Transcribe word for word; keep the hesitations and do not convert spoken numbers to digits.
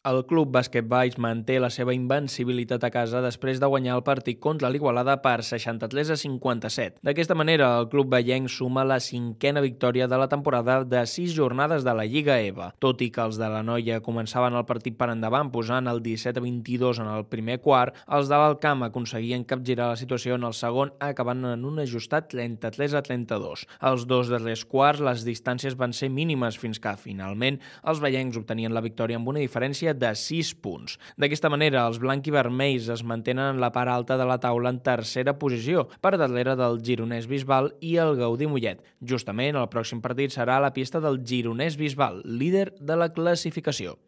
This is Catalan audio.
El Club Bàsquet Valls manté la seva invencibilitat a casa després de guanyar el partit contra l'Igualada per seixanta-tres a cinquanta-set. D'aquesta manera, el club vallenc suma la cinquena victòria de la temporada de sis jornades de la Lliga E V A. Tot i que els de la Noia començaven el partit per endavant posant el disset a vint-i-dos en el primer quart, els de l'Alcamp aconseguien capgirar la situació en el segon, acabant en un ajustat trenta-tres a trenta-dos. Els dos darrers quarts, les distàncies van ser mínimes fins que, finalment, els vallencs obtenien la victòria amb una diferència de sis punts. D'aquesta manera, els blanc i vermells es mantenen en la part alta de la taula en tercera posició, per darrere del Gironès Bisbal i el Gaudí Mollet. Justament, el pròxim partit serà a la pista del Gironès Bisbal, líder de la classificació.